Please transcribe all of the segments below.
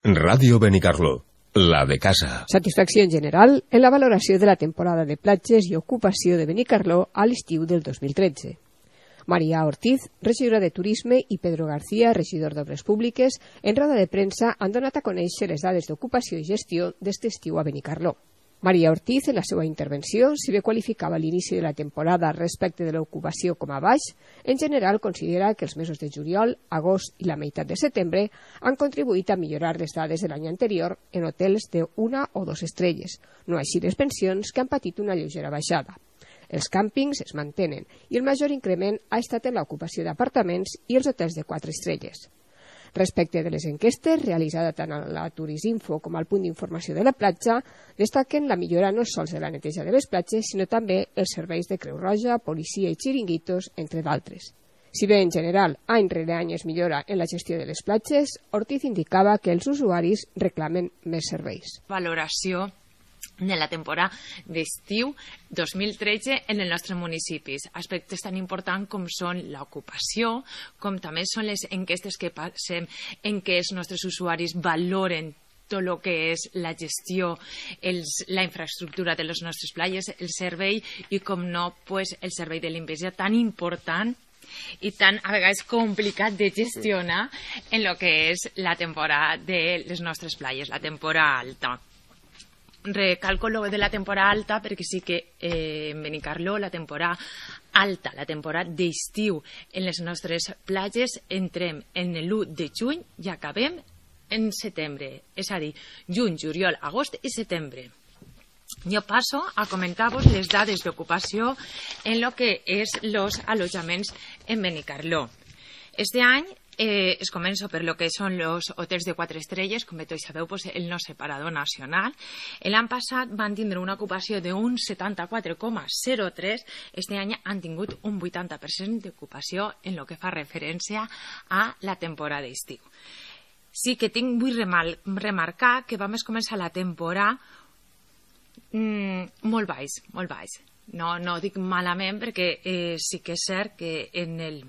Ràdio Benicarló, la de casa. Satisfacció en general en la valoració de la temporada de platges i ocupació de Benicarló a l'estiu del 2013. Maria Ortiz, regidora de Turisme, i Pedro García, regidor d'Obres Públiques, en roda de premsa han donat a conèixer les dades d'ocupació i gestió d'este estiu a Benicarló. Maria Ortiz, en la seva intervenció, si bé qualificava l'inici de la temporada respecte de l'ocupació com a baix, en general considera que els mesos de juliol, agost i la meitat de setembre han contribuït a millorar les dades de l'any anterior en hotels de 1 o 2 estrelles, no així les pensions, que han patit una lleugera baixada. Els càmpings es mantenen i el major increment ha estat en l'ocupació d'apartaments i els hotels de 4 estrelles. Respecte de les enquestes, realitzades tant a la Turisinfo com al punt d'informació de la platja, destaquen la millora no sols de la neteja de les platges, sinó també els serveis de Creu Roja, policia i xiringuitos, entre d'altres. Si bé en general any rere any es millora en la gestió de les platges, Ortiz indicava que els usuaris reclamen més serveis. Valoració de la temporada d'estiu 2013 en els nostres municipis. Aspectes tan importants com són l'ocupació, com també són les enquestes que passem en què els nostres usuaris valoren tot el que és la gestió, la infraestructura de les nostres platges, el servei i, com no, pues, el servei de limpiesa tan important i tan a vegades complicat de gestionar en el que és la temporada de les nostres platges, la temporada alta. Recalco lo de la temporada alta perquè sí que en Benicarló la temporada alta, la temporada d'estiu en les nostres platges entrem en l'1 de juny i acabem en setembre, és a dir, juny, juliol, agost i setembre. Jo passo a comentar-vos les dades d'ocupació en lo que és els allotjaments en Benicarló. Este any es començo per lo que són els hotels de 4 estrelles, com tots sabeu, pues, el nostre parador nacional. L'any passat van tindre una ocupació d'un 74,03, este any han tingut un 80% d'ocupació en lo que fa referència a la temporada d'estiu. Sí que vull remarcar que vam començar la temporada molt baix, molt baix. No dic malament perquè sí que és cert que en el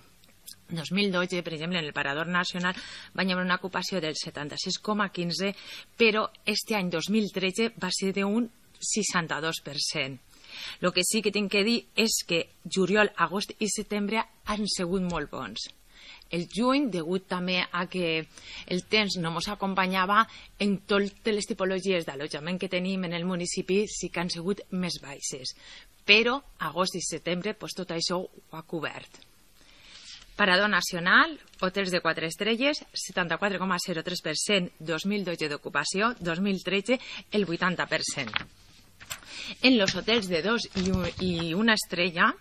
2012, per exemple, en el Parador Nacional va haver una ocupació del 76,15, però este any 2013 va ser d'un 62%. El que sí que tinc que dir és que juliol, agost i setembre han sigut molt bons. El juny, degut també a que el temps no ens acompanyava, en totes les tipologies d'allotjament que tenim en el municipi sí que han sigut més baixes. Però agost i setembre tot això ho ha cobert. Parador Nacional, hotels de 4 estrelles, 74,03% 2012 d'ocupació, 2013 el 80%. En els hotels de 2 i 1 estrella,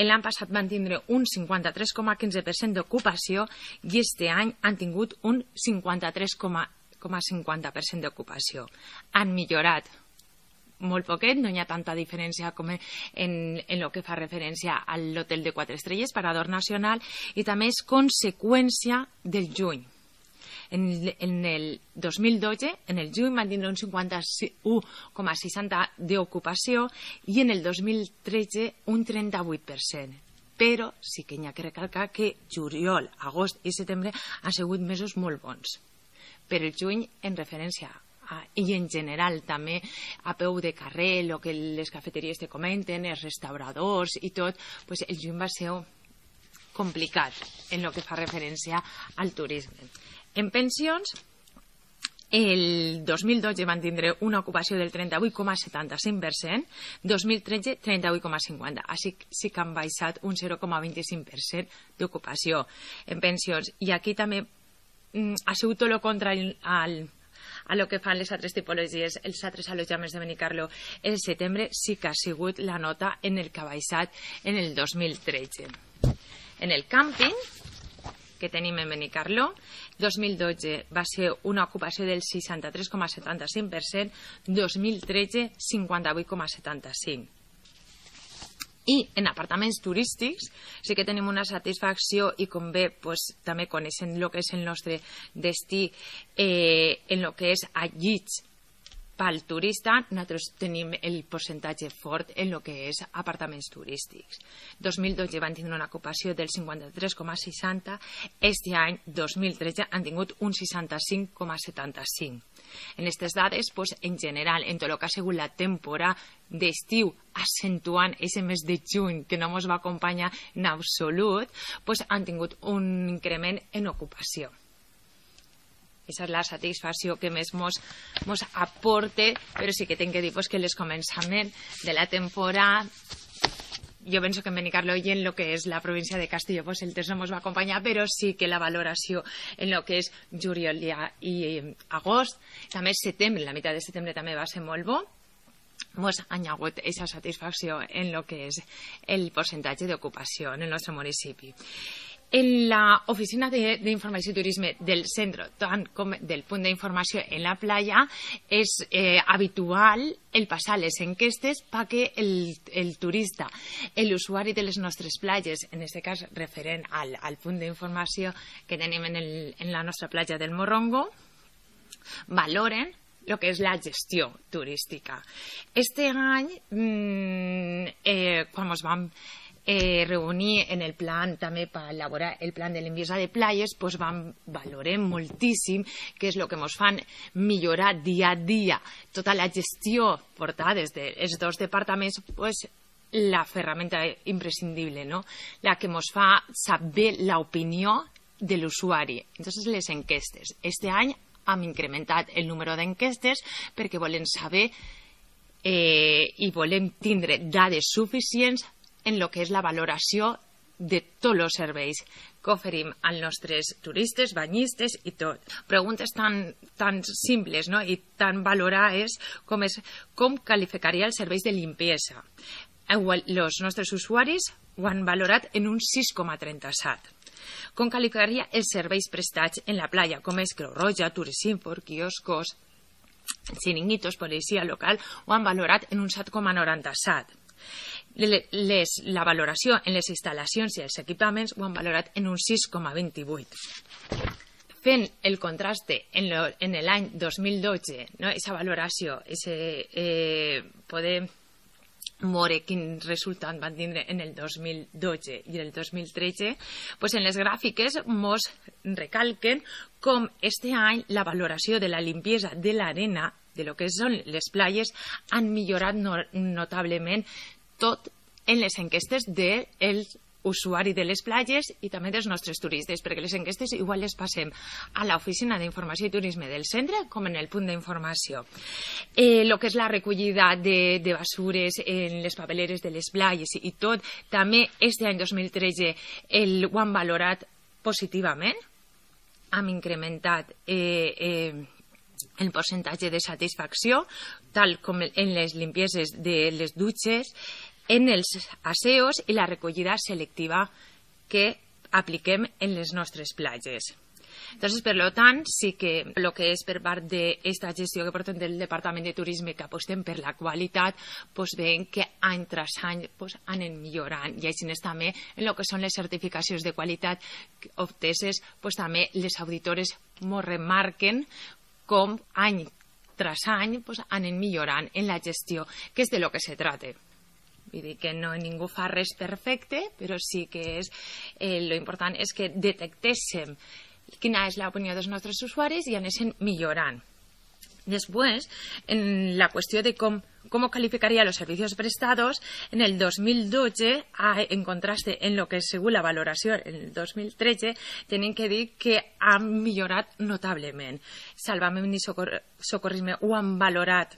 l'any passat van tindre un 53,15% d'ocupació i este any han tingut un 53,50% d'ocupació. Han millorat molt poquet, no hi ha tanta diferència com en el que fa referència a l'hotel de 4 estrelles, Parador Nacional, i també és conseqüència del juny. En el 2012, en el juny van tindre un 51,60% d'ocupació i en el 2013 un 38%. Però sí que hi ha que recalcar que juliol, agost i setembre han sigut mesos molt bons. Per el juny, en referència i en general també a peu de carrer, el que les cafeteries te comenten, els restauradors i tot, pues el juny va ser complicat en el que fa referència al turisme. En pensions, el 2012 van tindre una ocupació del 38,75%, 2013 38,50%, així sí que han baixat un 0,25% d'ocupació en pensions. I aquí també ha sigut tot el contrari a lo que fan les altres tipologies, els altres allotjaments de Benicarló. El setembre sí que ha sigut la nota en el que ha baixat en el 2013. En el càmping que tenim en Benicarló, 2012 va ser una ocupació del 63,75%, 2013 58,75%. I en apartaments turístics sí que tenim una satisfacció i com bé també coneixent el que és el nostre destí en el que és a llits pel turista, nosaltres tenim el percentatge fort en el que és apartaments turístics. 2012 van tindre una ocupació del 53,60, este any, 2013, han tingut un 65,75. En aquestes dades, en general, en tot el que ha sigut la temporada d'estiu, accentuant aquest mes de juny, que no ens va acompanyar en absolut, han tingut un increment en ocupació. Aquesta és la satisfacció que més ens aporta, però sí que tinc que dir que el començament de la temporada, jo penso que en Benicarló i en el que és la província de Castelló el temps no ens va acompanyar, però sí que la valoració en el que és juliol i agost, també setembre, la meitat de setembre també va ser molt bo, ens ha hagut aquesta satisfacció en el que és el percentatge d'ocupació en el nostre municipi. En l'oficina d'informació i turisme del centre, tant com del punt d'informació en la playa, és habitual el passar les enquestes perquè el turista, l'usuari de les nostres platges, en aquest cas referent al punt d'informació que tenim en la nostra platja del Morrongo, valoren el que és la gestió turística. Este any, quan ens vam reunir en el plan també per elaborar el plan de limpiesa de playes, vam valorar moltíssim què és el que ens fan millorar dia a dia tota la gestió portada des dels dos departaments, la ferramenta imprescindible, no? La que ens fa saber l'opinió de l'usuari. Entonces, les enquestes. Este any hem incrementat el número d'enquestes perquè volem saber i volem tindre dades suficients en el que és la valoració de tots els serveis que oferim als nostres turistes, banyistes i tot. Preguntes tan simples, no? I tan valorades com qualificaria els serveis de limpiesa. Els nostres usuaris ho han valorat en un 6,37. Com qualificaria els serveis prestats en la playa, com és Creu Roja, Turisínfor, quioscos, xiringuitos, policia local, ho han valorat en un 7,97. La valoració en les instal·lacions i els equipaments ho han valorat en un 6,28. Fent el contraste en l'any 2012, no? Aquesta valoració, poder veure quin resultat van tindre en el 2012 i el 2013, en les gràfiques ens recalquen com este any la valoració de la limpiesa de l'arena, de lo que són les platges, han millorat notablement tot en les enquestes del usuari de les platges i també dels nostres turistes, perquè les enquestes igual les passem a l'oficina d'informació i turisme del centre com en el punt d'informació. El que és la recollida de basures en les papeleres de les platges i tot, també este any 2013 ho han valorat positivament, hem incrementat el percentatge de satisfacció, tal com en les limpieses de les dutxes, en els aseos i la recollida selectiva que apliquem en les nostres platges. Entonces, per tant, sí que el que és per part d'aquesta gestió que portem del Departament de Turisme, que apostem per la qualitat, veiem que any tras any anem millorant. I així també en el que són les certificacions de qualitat obteses, també les auditores ens remarquen com any tras any anem millorant en la gestió, que és de lo que se trata. Vull dir que no ningú fa res perfecte, però sí que lo important és que detectéssim quina és l'opinió dels nostres usuaris i anéssim millorant. Després, en la qüestió de com calificaría los servicios prestados, en el 2012, en contraste en lo que es según la valoració en el 2013, tenim que dir que han millorat notablement. Salvament i Socorrisme ho han valorat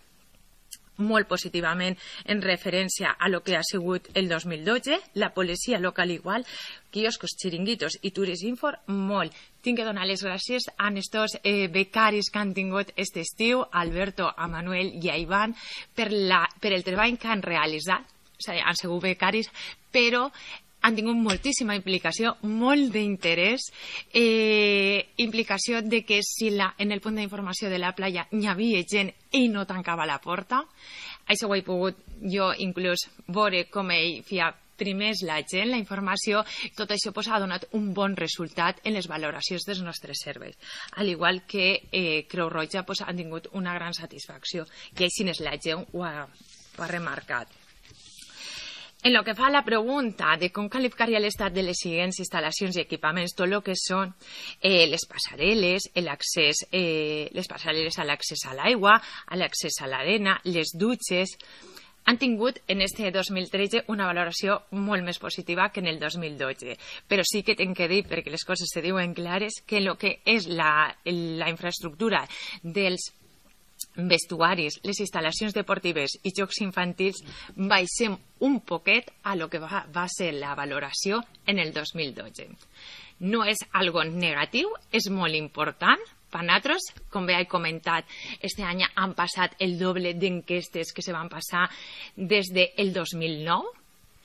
molt positivament en referència a lo que ha sigut el 2012, la policia local igual, quioscos, xiringuitos i Turisínfor molt. Tinc que donar les gràcies a estos becaris que han tingut aquest estiu, a Alberto, a Manuel i a Ivan, per el treball que han realitzat. O sigui, han sigut becaris, però han tingut moltíssima implicació, molt d'interès, implicació de que si en el punt d'informació de la playa hi havia gent i no tancava la porta, això ho he pogut jo inclús veure com ell feia primers la gent, la informació, tot això pues, ha donat un bon resultat en les valoracions dels nostres serveis. Al igual que Creu Roja pues, han tingut una gran satisfacció, i així la gent ho ha remarcat. En lo que fa a la pregunta de com qualificaria l'estat de les siguients instal·lacions i equipaments, tot el que són les passarel·les, les passarel·les a l'accés a l'aigua, a l'accés a l'arena, les dutxes, han tingut en este 2013 una valoració molt més positiva que en el 2012. Però sí que tinc que dir, perquè les coses se diuen clares, que el que és la infraestructura dels vestuaris, les instal·lacions deportives i jocs infantils baixem un poquet a lo que va ser la valoració en el 2012. No és algo negatiu, és molt important per nosaltres. Com bé he comentat, este any han passat el doble d'enquestes que se van passar des del 2009.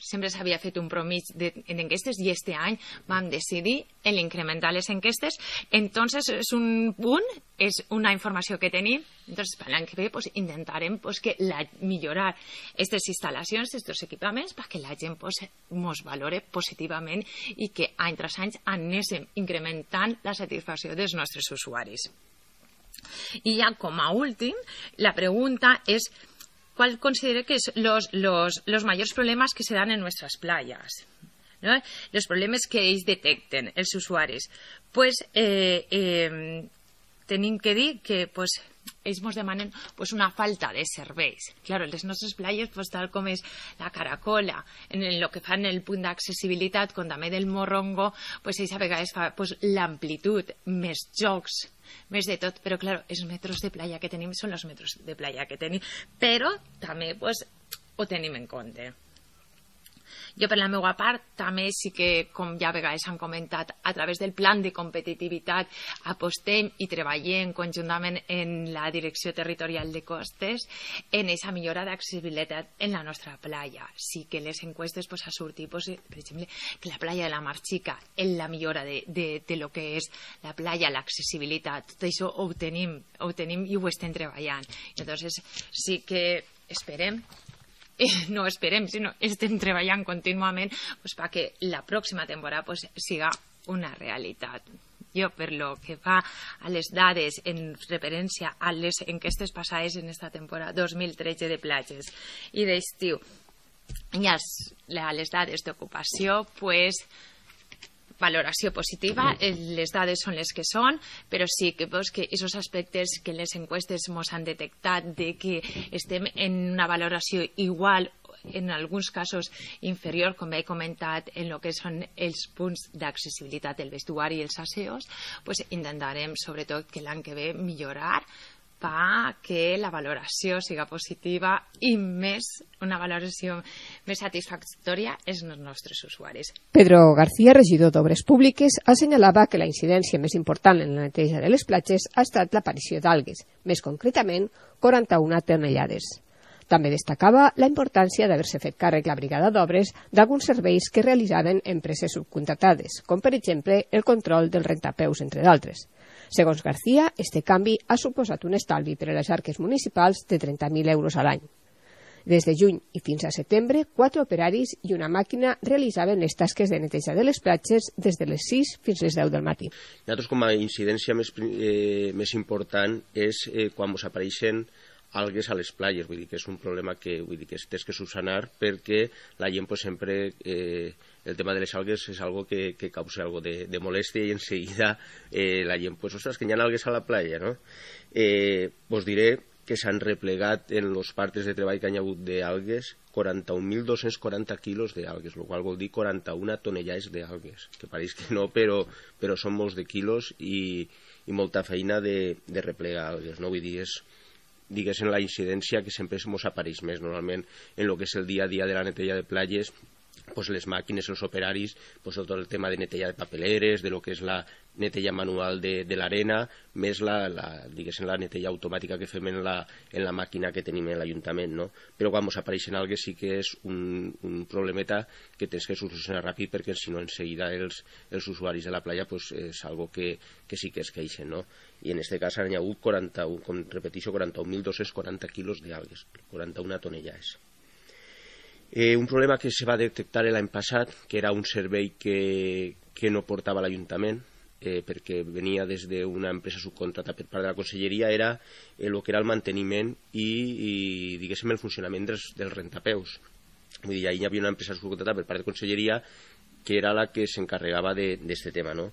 Sempre s'havia fet un promig d'enquestes i este any vam decidir en incrementar les enquestes. Entonces és un punt, és una informació que tenim. Entonces per l'any que ve pues, intentarem pues, millorar aquestes instal·lacions, aquests equipaments, perquè la gent ens valore positivament i que any tras any anéssim incrementant la satisfacció dels nostres usuaris. I ja com a últim, la pregunta és ¿cuál considera que son los mayores problemas que se dan en nuestras playas? ¿No? Los problemas que ells detecten, els usuaris. Pues tenim que dir que pues, ells ens demanen pues, una falta de serveis. Claro, les nostres playes, pues, tal com és la Caracola, en el que fan el punt d'accessibilitat, com també del Morrongo, pues, ells a vegades fa pues, l'amplitud, més jocs, més de tot, però clar, els metros de playa que tenim són els metros de playa que tenim, però també pues, ho tenim en compte. Jo, per la meva part, també sí que, com ja a vegades han comentat, a través del plan de competitivitat apostem i treballem conjuntament en la Direcció Territorial de Costes en aquesta millora d'accessibilitat en la nostra playa. Sí que les enquestes pues, ha sortit, pues, per exemple, que la playa de la Mar Xica, en la millora de lo que és la playa, l'accessibilitat, tot això ho tenim i ho estem treballant. Entonces, sí que esperem, no esperem, sinó estem treballant contínuament pues, perquè la pròxima temporada pues, siga una realitat. Jo, per lo que fa a les dades en referència a les enquestes passades en esta temporada 2013 de platges i d'estiu i a les dades d'ocupació, pues, valoració positiva, les dades són les que són, però sí que aquests aspectes que les enquestes ens han detectat de que estem en una valoració igual, en alguns casos inferior, com he comentat, en el que són els punts d'accessibilitat del vestuari i els asseos, pues intentarem sobretot que l'any que ve millorar que la valoració siga positiva i una valoració més satisfactòria als nostres usuaris. Pedro García, regidor d'Obres Públiques, assenyalava que la incidència més important en la neteja de les platges ha estat l'aparició d'algues, més concretament 41 tonellades. També destacava la importància d'haver-se fet càrrec la brigada d'obres d'alguns serveis que realitzaven empreses subcontractades, com per exemple el control del rentapeus, entre d'altres. Segons García, este canvi ha suposat un estalvi per a les arques municipals de 30.000 euros a l'any. Des de juny i fins a setembre, 4 operaris i una màquina realitzaven les tasques de neteja de les platges des de les 6 fins les 10 del matí. Nosaltres, com a incidència més important és quan ens apareixen algues a les platges, vull dir que és un problema que tens que subsanar perquè la gent pues, sempre el tema de les algues és algo que causa algo de molèstia i enseguida la gent, pues, ostres, que hi ha algues a la platja, no? Us diré que s'han replegat en els partes de treball que hi ha hagut d'algues 41.240 quilos d'algues, el qual vol dir 41 tonellades d'algues, que pareix que no, però són molts de quilos i molta feina de replegar algues, no? Vull dir, és diguéssim la incidència que sempre ens apareix més normalment en el que és el dia a dia de la neteja de platges, pues les màquines, els operaris, pues tot el tema de neteja de papeleres, de lo que és la neteja manual de l'arena, més la neteja automàtica que fem en la màquina que tenim en l'Ajuntament, no? Però quan ens apareixen algues sí que és un problemeta que tens que solucionar ràpid perquè si no enseguida els usuaris de la playa pues, és algo que sí que es queixen, no? I en aquest cas han hagut 41, com repeteixo, 41.240 quilos d'algues, 41 tonellades. Un problema que se va detectar l'any passat, que era un servei que no portava l'Ajuntament, perquè venia des d'una empresa subcontrata per part de la Conselleria, era el que era el manteniment i diguéssim, el funcionament dels rentapeus. Vull dir, hi havia una empresa subcontrata per part de Conselleria que era la que s'encarregava d'aquest tema, no?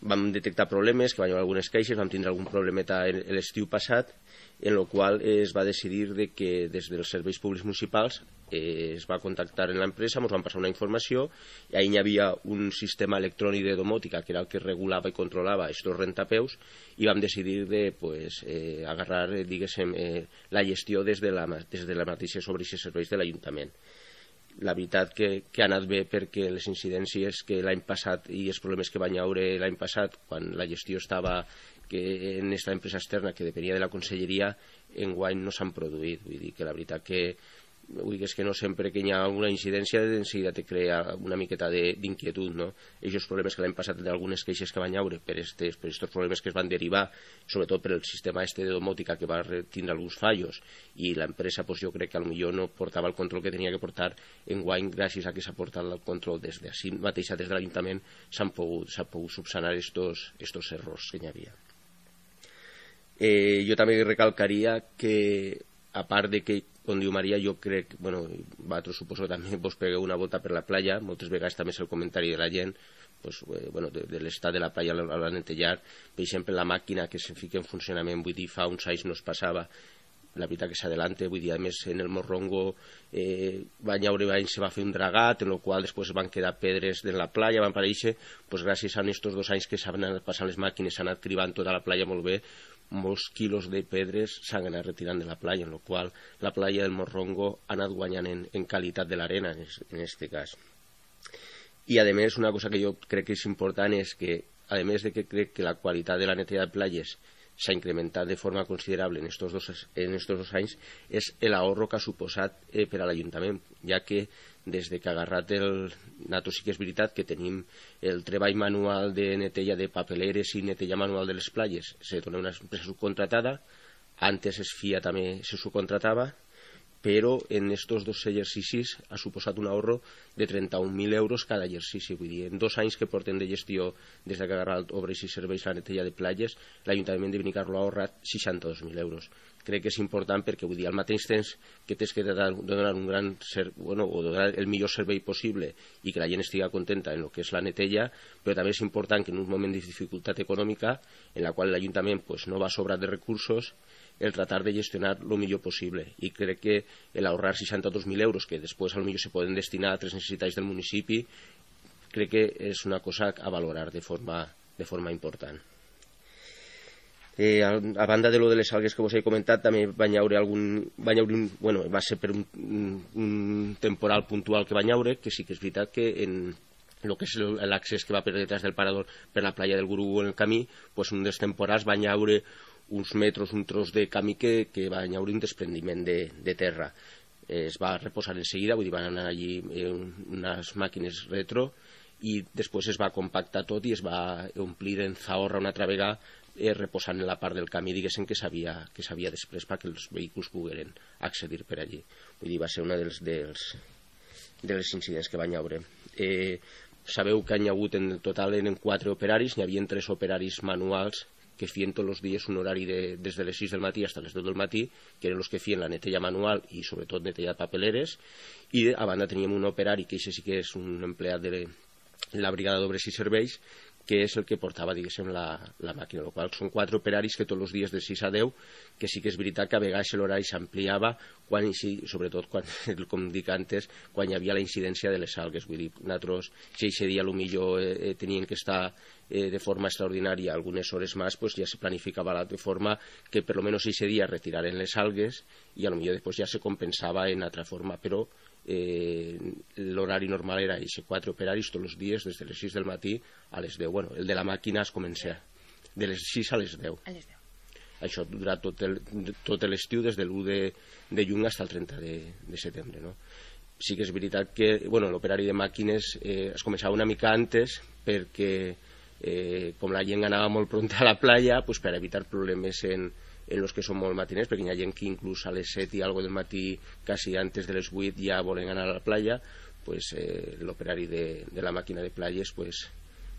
Vam detectar problemes, que van haver algunes queixes, vam tindre algun problemeta l'estiu passat, en el qual es va decidir que des dels serveis públics municipals es va contactar amb l'empresa, ens van passar una informació, i ahir hi havia un sistema electrònic de domòtica, que era el que regulava i controlava aquests rentapeus, i vam decidir de agarrar, diguéssim, la gestió des de la mateixa sobre aquests serveis de l'Ajuntament. La veritat que ha anat bé, perquè les incidències que l'any passat i els problemes que van haure l'any passat, quan la gestió estava en aquesta empresa externa que depenia de la Conselleria, enguany no s'han produït. Vull dir que la veritat que és que no sempre que hi ha alguna incidència de seguida te crea una miqueta d'inquietud, no? Aquests problemes que l'any passat, d'algunes queixes que van haure per aquests problemes que es van derivar, sobretot per el sistema de domòtica, que va tindre alguns fallos, i l'empresa, jo crec que potser no portava el control que tenia que portar. Enguany, gràcies a que s'ha portat el control des d'ací mateixa, des de l'Ajuntament, s'ha pogut subsanar estos errors que hi havia. Jo també recalcaria que, a part de que, com diu Maria, jo crec, vosaltres suposo també vos pegueu una volta per la playa, moltes vegades també és el comentari de la gent, de l'estat de la playa a la netejar. Per exemple, la màquina que se fica en funcionament, vull dir, fa uns anys no es passava, la veritat que s'adelanta, vull dir, a més en el Morrongo van haure anys se va fer un dragat, en el qual després van quedar pedres de la playa, van aparèixer, gràcies a aquests 2 anys que s'han anat passant les màquines, s'han anat cribant tota la playa molt bé, molts quilos de pedres s'han anat retirant de la playa, en el qual la playa del Morrongo ha anat guanyant en qualitat de l'arena, en aquest cas. I, a més, una cosa que jo crec que és important és que, a més de que crec que la qualitat de la neteja de platges s'ha incrementat de forma considerable en aquests 2 anys, és l'ahorro que ha suposat per a l'Ajuntament, ja que des que ha agarrat nosaltres sí que és veritat que tenim el treball manual de neteja de papeleres i neteja manual de les platges, se dona una empresa subcontratada, antes es FIA també se subcontratava, però en aquests 2 exercicis ha suposat un ahorro de 31.000 euros cada exercici. Vull dir, en 2 anys que porten de gestió des que ha agarrat obres i serveis la neteja de platges, l'Ajuntament de Benicarló ha ahorrat 62.000 euros. Crec que és important perquè, vull dir, al mateix temps que tens que donar un gran o donar el millor servei possible i que la gent estigui contenta en el que és la neteja, però també és important que en un moment de dificultat econòmica, en la qual l'Ajuntament no va sobrat de recursos, el tratar de gestionar el millor possible. I crec que l'ahorrar 62.000 euros, que després potser se poden destinar a altres necessitats del municipi, crec que és una cosa a valorar de forma important. A banda de lo de les algues que vos he comentat, també va ser per un temporal puntual que va haure, que sí que és veritat que en el que és l'accés que va per detrás del parador per la playa del Gurú en el camí, un dels temporals va haure uns metres, un tros de camí que va haure un desprendiment de terra. Es va reposar en seguida, vull dir, van anar allí unes màquines retro i després es va compactar tot i es va omplir en zaorra una altra vegada, reposant en la part del camí, diguéssim, que s'havia després perquè els vehicles pogueren accedir per allí. Vull dir, va ser una de les incidents que van haure. Sabeu que hi ha hagut en total 4 operaris, n'hi havia 3 operaris manuals que feien tots els dies un horari des de les 6 del matí fins a les 10 del matí, que eren els que feien la neteja manual i sobretot neteja de papeleres, i a banda teníem un operari, que això sí que és un empleat de la brigada d'obres i serveis, que és el que portava, diguéssim, la màquina, el qual són 4 operaris que tots els dies de 6 a 10, que sí que és veritat que a vegades l'horari s'ampliava, sobretot quan, com dic antes, quan hi havia la incidència de les algues. Vull dir, nosaltres, si aquest dia potser tenien que estar de forma extraordinària algunes hores més, ja se planificava de forma que per almenys aquest dia retiraren les algues i potser després ja se compensava en altra forma, però l'horari normal era aquests 4 operaris tots els dies des de les 6 del matí a les 10. Bueno, el de la màquina es comença de les 6 a les 10. Això durarà tot l'estiu des de l'1 de juny fins al 30 de setembre, no? Sí que és veritat que l'operari de màquines es començava una mica antes perquè com la gent anava molt pront a la playa, per evitar problemes en en los que són molt matiners, perquè hi ha gent que inclús a les 7 i algo del matí, quasi antes de les 8, ja volen anar a la playa, pues, l'operari de la màquina de playes pues,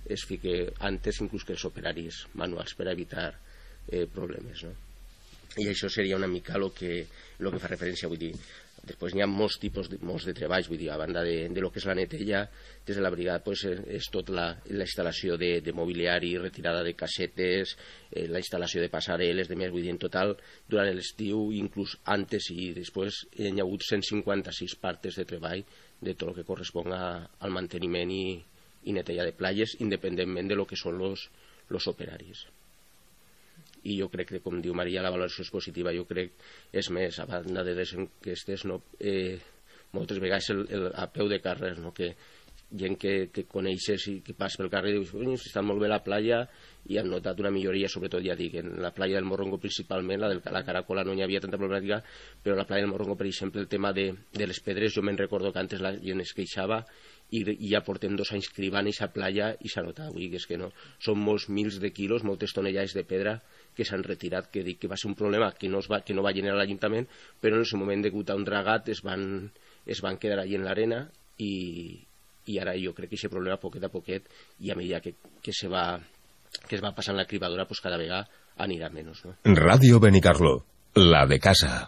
es fique antes inclús que els operaris manuals per evitar problemes, no? I això seria una mica el que fa referència, vull dir. Després n'hi ha molts tipus de treballs, vull dir, a banda de lo que és la neteja, des de la brigada pues, és tot la instal·lació de mobiliari, retirada de casetes, la instal·lació de passarel·les, de més, vull dir, en total, durant l'estiu, inclús antes i després, hi ha hagut 156 partes de treball de tot el que correspon al manteniment i neteja de platges, independentment de lo que són los operaris. I jo crec que, com diu Maria, la valoració és positiva. Jo crec, és més, a banda de les enquestes, no, moltes vegades a peu de carrer, no, que gent que coneixes i que passa pel carrer i dius, està molt bé la platja, i han notat una milloria, sobretot ja dic, en la platja del Morrongo principalment, la Caracola no hi havia tanta problemàtica, però la platja del Morrongo, per exemple, el tema de les pedres, jo me'n recordo que antes la gent es queixava i ja portem 2 anys cribant aquesta platja i s'ha notat, vull dir que és que no, són molts mils de quilos, moltes tonellades de pedra que s'han retirat, que dic que va ser un problema que no va generar l'Ajuntament, però en el moment degut a un dragat es van quedar allí en l'arena i ara jo crec que aquest problema poquet a poquet i a mesura que es va passant la cribadora pues cada vegada anirà menys, no? Ràdio Benicarló, la de casa.